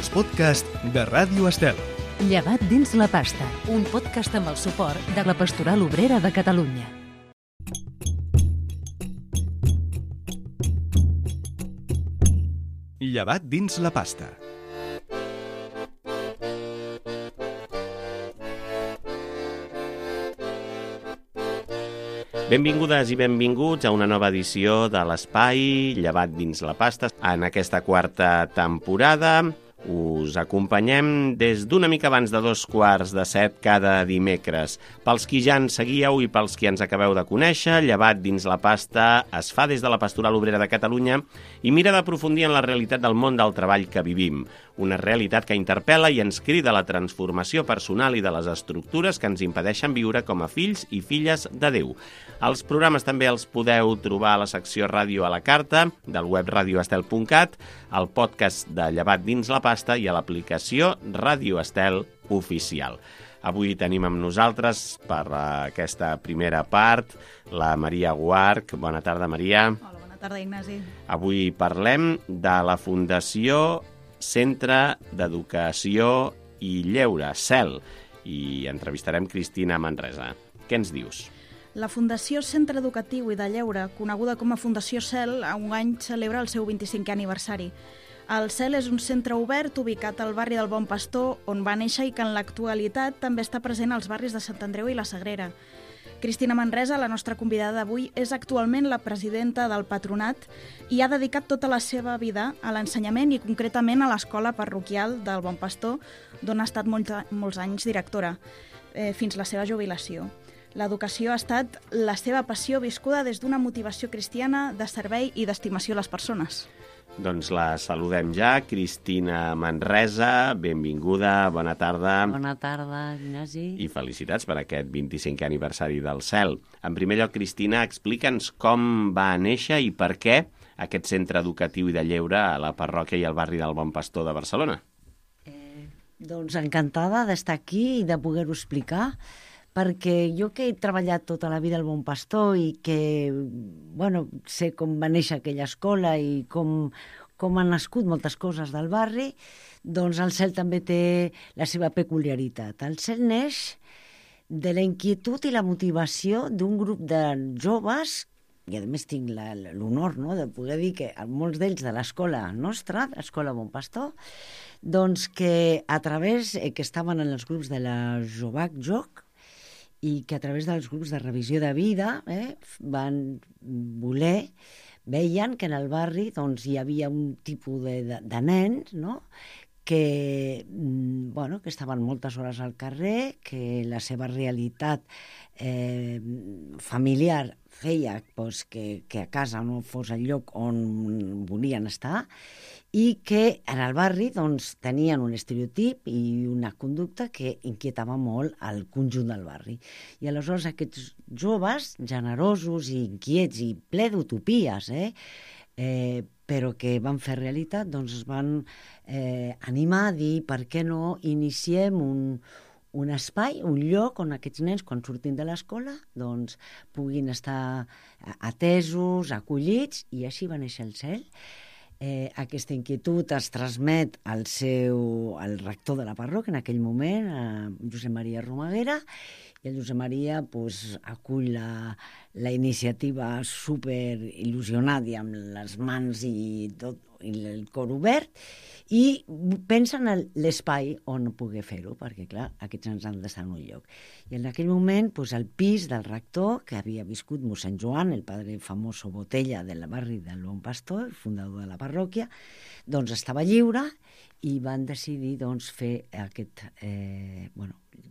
els podcasts de Ràdio Estel. Llevat dins la pasta, un podcast amb el suport de la Pastoral Obrera de Catalunya. Llevat dins la pasta. Benvingudes i benvinguts a una nova edició de l'Espai Llevat dins la pasta. En aquesta quarta temporada us acompanyem des d'una mica abans de 6:45 cada dimecres. Pels qui ja ens seguíeu i pels qui ens acabeu de conèixer, Llevat dins la pasta es fa des de la Pastoral Obrera de Catalunya i mira d'aprofundir en la realitat del món del treball que vivim. Una realitat que interpel·la i ens crida a la transformació personal i de les estructures que ens impedeixen viure com a fills i filles de Déu. Els programes també els podeu trobar a la secció Ràdio a la Carta, del web radioestel.cat, al podcast de Llevat dins la pasta i a l'aplicació Ràdio Estel Oficial. Avui tenim amb nosaltres, per aquesta primera part, la Maria Guarch. Bona tarda, Maria. Hola, bona tarda, Ignasi. Avui parlem de la Fundació Centre d'Educació i Lleure, CEL, i entrevistarem Cristina Manresa. Què ens dius? La Fundació Centre Educatiu i de Lleure, coneguda com a Fundació CEL, enguany celebra el seu 25è aniversari. El CEL és un centre obert ubicat al barri del Bon Pastor, on va néixer i que en l'actualitat també està present als barris de Sant Andreu i la Sagrera. Cristina Manresa, la nostra convidada d'avui, és actualment la presidenta del patronat i ha dedicat tota la seva vida a l'ensenyament i concretament a l'escola parroquial del Bon Pastor, d'on ha estat molts anys directora, fins la seva jubilació. L'educació ha estat la seva passió viscuda des d'una motivació cristiana de servei i d'estimació a les persones. Doncs la saludem ja, Cristina Manresa, benvinguda, bona tarda. Bona tarda, Ignasi. I felicitats per aquest 25è aniversari del CEL. En primer lloc, Cristina, explica'ns com va néixer i per què aquest centre educatiu i de lleure a la parròquia i al barri del Bon Pastor de Barcelona. Doncs encantada d'estar aquí i de poder-ho explicar, perquè jo que he treballat tota la vida al Bon Pastor i que, sé com va néixer aquella escola i com han nascut moltes coses del barri, doncs el CEL també té la seva peculiaritat. El CEL neix de la inquietud i la motivació d'un grup de joves, i a més tinc l'honor de poder dir que molts d'ells de l'escola nostra, l'escola Bon Pastor, doncs que a través, que estaven en els grups de la Jovac Joc, i que a través dels grups de revisió de vida van voler, veien que en el barri doncs, hi havia un tipus de nens, que estaven moltes hores al carrer, que la seva realitat familiar feia que a casa no fos el lloc on volien estar i que en el barri tenien un estereotip i una conducta que inquietava molt al conjunt del barri. I aleshores aquests joves, generosos i inquiets i ple d'utopies, però que van fer realitat, doncs es van animar a dir per què no iniciem un espai, un lloc on aquests nens, quan surtin de l'escola, doncs puguin estar atesos, acollits, i així va néixer el CEL. Aquesta inquietud es transmet al rector de la parròquia en aquell moment, a Josep Maria Romaguera, i el Josep Maria acull la iniciativa super il·lusionat i amb les mans i tot, i el cor obert, i pensa en l'espai on poder fer-ho, perquè, clar, aquests ens han d'estar en un lloc. I en aquell moment, el pis del rector, que havia viscut mossèn Joan, el padre famoso Botella del barri del Bon Pastor, el fundador de la parròquia, doncs estava lliure i van decidir fer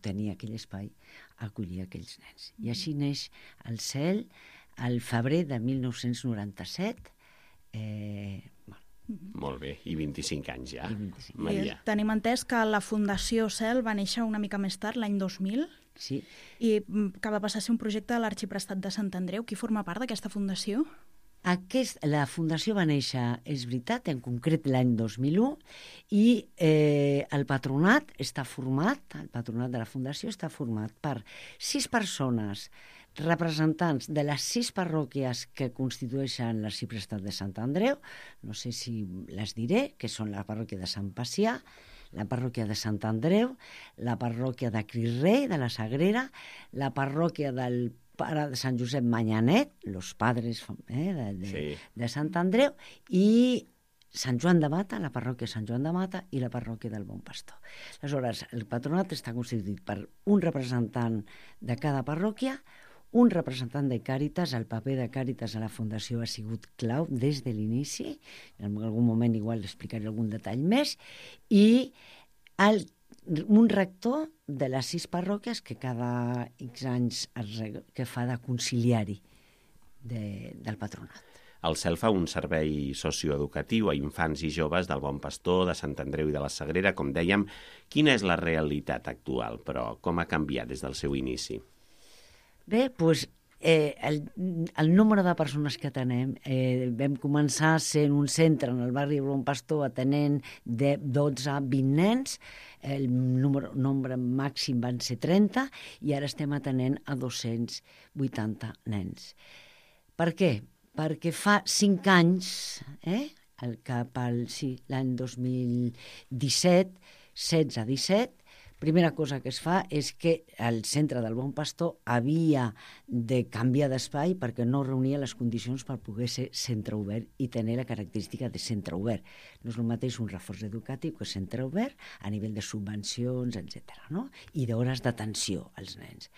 tenir aquell espai, acollir aquells nens. I així neix el CEL al febrer de 1997, Molt bé, i 25 anys ja, 25. Maria. Tenim entès que la Fundació CEL va néixer una mica més tard, l'any 2000, Sí. i que va passar a ser un projecte de l'Arxiprestat de Sant Andreu. Qui forma part d'aquesta fundació? La fundació va néixer, és veritat, en concret l'any 2001, i el patronat de la fundació està format per 6 persones representants de les 6 parròquies que constitueixen l'arxiprestat de Sant Andreu, no sé si les diré, que són la parròquia de Sant Pacià, la parròquia de Sant Andreu, la parròquia de Cris-Rei, de la Sagrera, la parròquia del pare de Sant Josep Manyanet, los padres de Sant Andreu, i Sant Joan de Mata, la parròquia Sant Joan de Mata i la parròquia del Bon Pastor. Aleshores, el patronat està constituït per un representant de cada parròquia, un representant de Càritas. El paper de Càritas a la Fundació ha sigut clau des de l'inici, en algun moment igual explicaré algun detall més, i un rector de les 6 parròquies que cada X anys que fa de conciliari del patronat. El CEL fa un servei socioeducatiu a infants i joves del Bon Pastor, de Sant Andreu i de la Sagrera, com dèiem. Quina és la realitat actual, però com ha canviat des del seu inici? Bé, doncs el número de persones que atenem, vam començar sent un centre en el barri de Bon Pastor atenent de 12 a 20 nens, el nombre màxim van ser 30 i ara estem atenent a 280 nens. Per què? Perquè fa 5 anys, l'any 2017, 16-17, primera cosa que es fa és que el centre del Bon Pastor havia de canviar d'espai perquè no reunia les condicions per poder ser centre obert i tenir la característica de centre obert. No és el mateix un reforç educatiu que centre obert a nivell de subvencions, etc., no? I d'hores d'atenció als nens.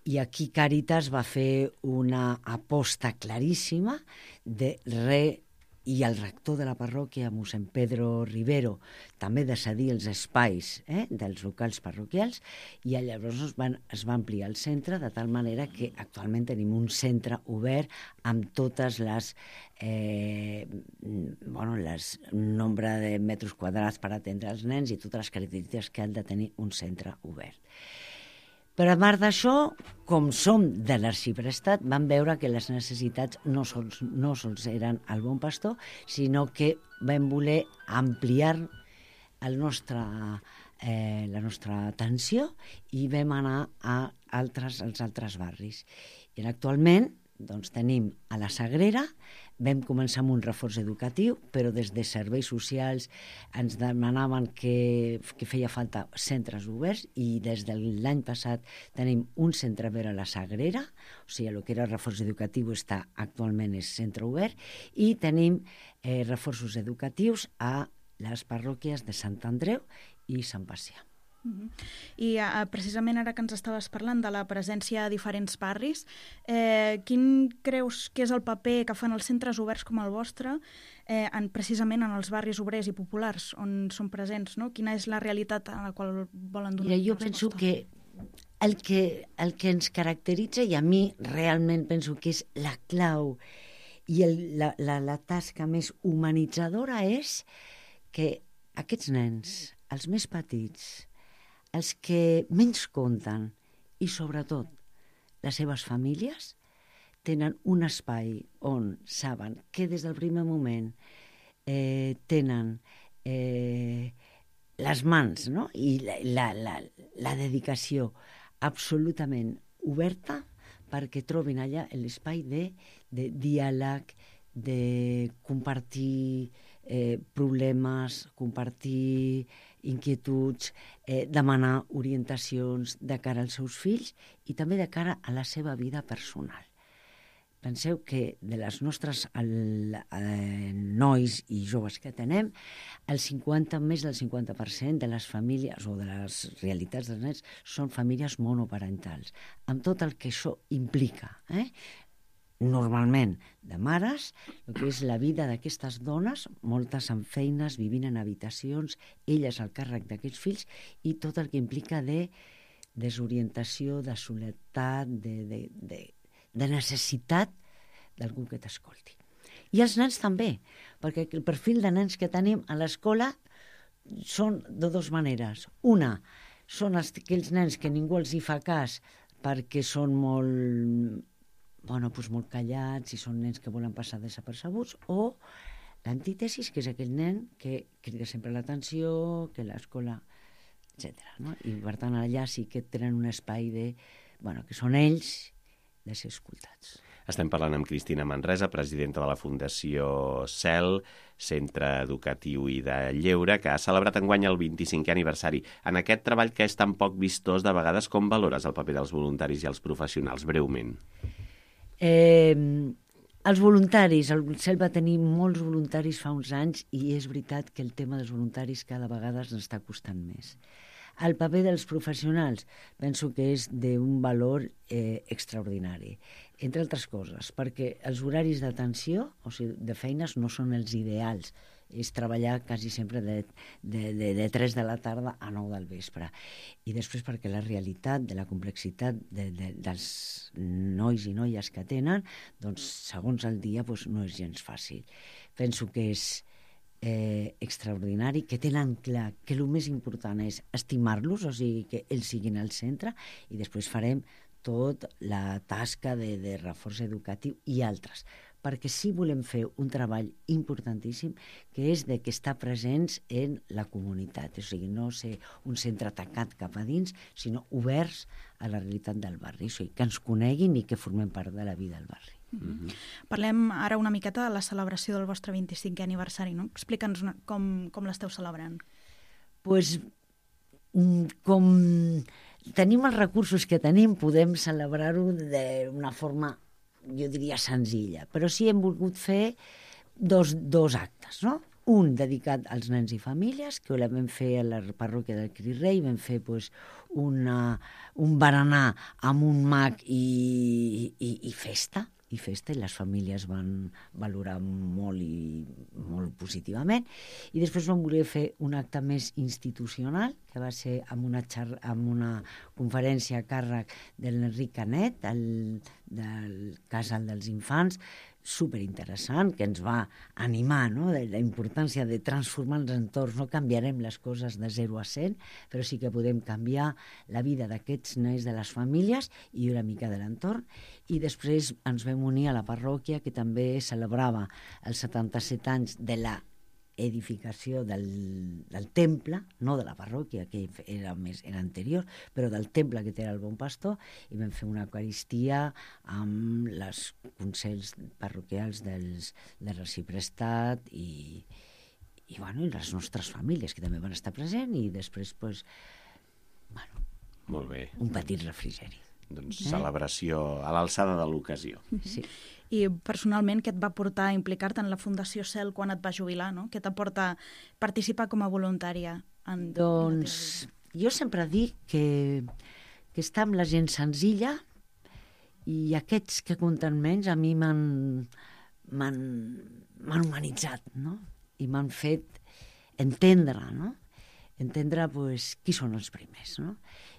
I aquí Càritas va fer una aposta claríssima i el rector de la parròquia, mossèn Pedro Rivero, també de cedir els espais dels locals parroquials, i llavors es va ampliar el centre de tal manera que actualment tenim un centre obert amb totes les nombre de metres quadrats per atendre els nens i totes les característiques que han de tenir un centre obert. Però a part d'això, com som de l'arxiprestat, vam veure que les necessitats no sols eren al Bon Pastor, sinó que vam voler ampliar la nostra atenció i vam anar als altres barris. I actualment tenim a la Sagrera, vam començar amb un reforç educatiu, però des de serveis socials ens demanaven que feia falta centres oberts i des de l'any passat tenim un centre obert a la Sagrera, o sigui, el que era reforç educatiu actualment és centre obert, i tenim reforços educatius a les parròquies de Sant Andreu i Sant Pacià. I precisament ara que ens estaves parlant de la presència a diferents barris, quin creus que és el paper que fan els centres oberts com el vostre precisament en els barris obrers i populars on són presents, no? Quina és la realitat a la qual volen donar resposta? Jo penso que el que ens caracteritza, i a mi realment penso que és la clau i la tasca més humanitzadora, és que aquests nens, els més petits, els que menys compten i, sobretot, les seves famílies, tenen un espai on saben que des del primer moment tenen les mans, no? I la dedicació absolutament oberta perquè trobin allà l'espai de diàleg, de compartir problemes, compartir inquietuds, demanar orientacions de cara als seus fills i també de cara a la seva vida personal. Penseu que de les nostres nois i joves que tenem, més del 50% de les famílies o de les realitats dels nens són famílies monoparentals, amb tot el que això implica, normalment de mares, el que és la vida d'aquestes dones, moltes amb feines, vivint en habitacions, elles al càrrec d'aquests fills, i tot el que implica de desorientació, de soledat, de necessitat d'algú que t'escolti. I els nens també, perquè el perfil de nens que tenim a l'escola són de dues maneres. Una, són aquells nens que ningú els hi fa cas perquè són molt callats i són nens que volen passar desapercebuts, o l'antítesis, que és aquell nen que crida sempre l'atenció, que l'escola, etc. No? I per tant allà sí que tenen un espai que són ells de ser escoltats. Estem parlant amb Cristina Manresa, presidenta de la Fundació CEL, Centre Educatiu i de Lleure, que ha celebrat enguany el 25è aniversari. En aquest treball que és tan poc vistós, de vegades, com valores el paper dels voluntaris i els professionals, breument? Els voluntaris, el CEL va tenir molts voluntaris fa uns anys i és veritat que el tema dels voluntaris cada vegada ens està costant més. El paper dels professionals penso que és d'un valor extraordinari, entre altres coses, perquè els horaris d'atenció, o sigui, de feines, no són els ideals. És treballar quasi sempre de 3 de la tarda a 9 del vespre. I després perquè la realitat de la complexitat dels nois i noies que tenen, doncs, segons el dia, doncs, no és gens fàcil. Penso que és extraordinari, que tenen clar que el més important és estimar-los, o sigui, que ells siguin al centre, i després farem tota la tasca de reforç educatiu i altres, perquè sí volem fer un treball importantíssim, que és de que estar presents en la comunitat, o sigui, no ser un centre tancat cap a dins, sinó oberts a la realitat del barri, o sigui, que ens coneguin i que formem part de la vida del barri. Parlem ara una miqueta de la celebració del vostre 25è aniversari, no? Explica'ns com l'esteu celebrant. Pues, com tenim els recursos que tenim, podem celebrar-ho d'una forma, jo diria, senzilla, però sí hem volgut fer dos actes, no? Un dedicat als nens i famílies, que la vam fer a la parròquia del Crit Rei, vam fer un berenar amb un mag i festa, i les famílies van valorar molt positivament, i després vam voler fer un acte més institucional, que va ser amb una conferència a càrrec de l'Enric Canet, del Casal dels Infants, superinteressant, que ens va animar, no?, de la importància de transformar els entorns. No canviarem les coses de 0 a 100, però sí que podem canviar la vida d'aquests nens, de les famílies i una mica de l'entorn. I després ens vam unir a la parròquia, que també celebrava els 77 anys de la edificació del temple, no de la parròquia, que era anterior, però del temple que té el Bon Pastor, i vam fer una eucaristia amb els consells parroquials de reciprestat i les nostres famílies, que també van estar presents, i després, Molt bé. un petit refrigeri. Doncs celebració a l'alçada de l'ocasió. Sí. I personalment, què et va portar a implicar-te en la Fundació CEL quan et vas jubilar, no? Què t'aporta participar com a voluntària? Doncs jo sempre dic que estar amb la gent senzilla, i aquests que compten menys a mi m'han humanitzat, no? I m'han fet entendre, no? Entendre qui són els primers, no?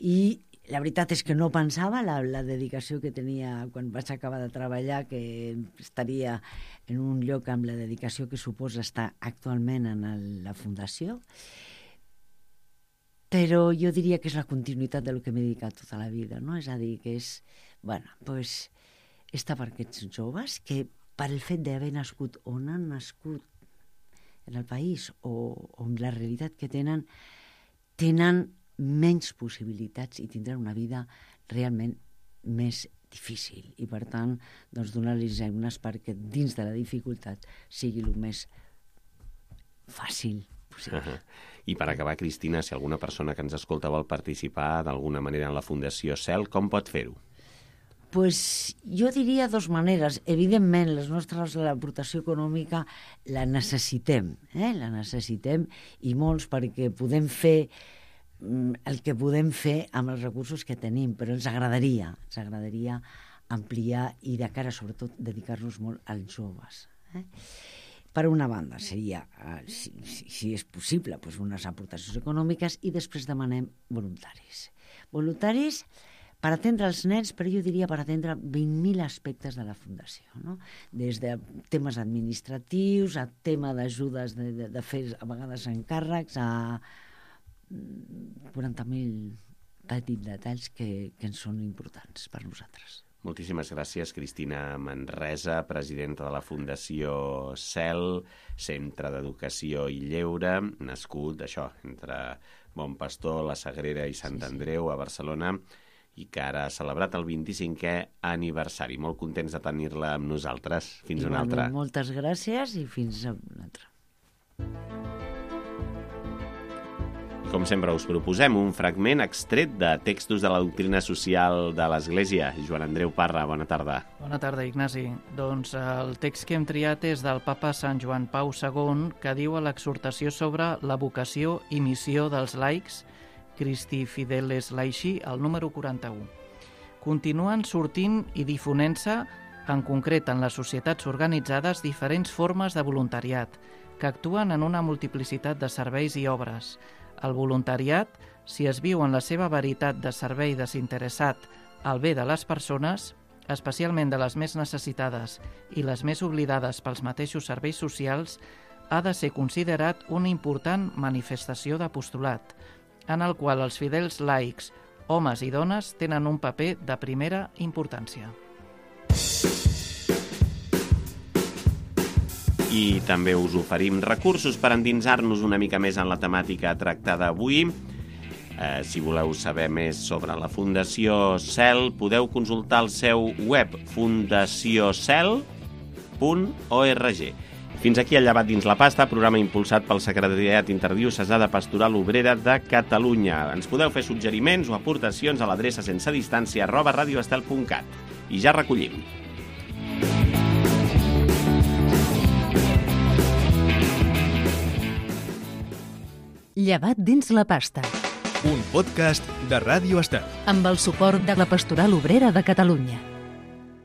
I la veritat és que no pensava la dedicació que tenia quan vaig acabar de treballar, que estaria en un lloc amb la dedicació que suposa estar actualment en la Fundació, però jo diria que és la continuïtat del que m'he dedicat tota la vida, no? És a dir, que és, estar per aquests joves que, per el fet d'haver nascut on han nascut en el país o amb la realitat que tenen menys possibilitats i tindran una vida realment més difícil. I, per tant, donar-los eines perquè dins de la dificultat sigui el més fàcil possible. I per acabar, Cristina, si alguna persona que ens escolta vol participar d'alguna manera en la Fundació CEL, com pot fer-ho? Jo diria 2 maneres. Evidentment, l'aportació econòmica la necessitem, la necessitem, i molts, perquè podem fer el que podem fer amb els recursos que tenim, però ens agradaria ampliar i de cara, sobretot, dedicar-nos molt als joves. Per una banda, seria, si és possible, unes aportacions econòmiques, i després demanem voluntaris. Voluntaris per atendre els nens, però jo diria per atendre 20.000 aspectes de la Fundació, no? Des de temes administratius, a tema d'ajudes de fer, a vegades, encàrrecs, a 40.000 petits detalls que ens són importants per nosaltres. Moltíssimes gràcies, Cristina Manresa, presidenta de la Fundació CEL, Centre d'Educació i Lleure, nascut, entre Bon Pastor, la Sagrera i Sant Andreu, a Barcelona, i que ara ha celebrat el 25è aniversari. Molt contents de tenir-la amb nosaltres. Fins una altra. Moltes gràcies i fins una altra. Com sempre, us proposem un fragment extret de textos de la doctrina social de l'Església. Joan Andreu Parra, bona tarda. Bona tarda, Ignasi. Doncs el text que hem triat és del papa Sant Joan Pau II, que diu a l'exhortació sobre la vocació i missió dels laics, Christi Fideles Laici, el número 41. Continuen sortint i difonent-se, en concret en les societats organitzades, diferents formes de voluntariat, que actuen en una multiplicitat de serveis i obres. El voluntariat, si es viu en la seva veritat de servei desinteressat al bé de les persones, especialment de les més necessitades i les més oblidades pels mateixos serveis socials, ha de ser considerat una important manifestació d'apostolat, en el qual els fidels laics, homes i dones, tenen un paper de primera importància. I també us oferim recursos per endinsar-nos una mica més en la temàtica tractada avui. Si voleu saber més sobre la Fundació CEL, podeu consultar el seu web fundaciocel.org. Fins aquí el Llevat dins la pasta, programa impulsat pel Secretariat Interdiocesà de Pastoral Obrera de Catalunya. Ens podeu fer suggeriments o aportacions a l'adreça sensedistància@radioestel.cat. I ja recollim. Llevat dins la pasta. Un podcast de Ràdio Estel. Amb el suport de la Pastoral Obrera de Catalunya.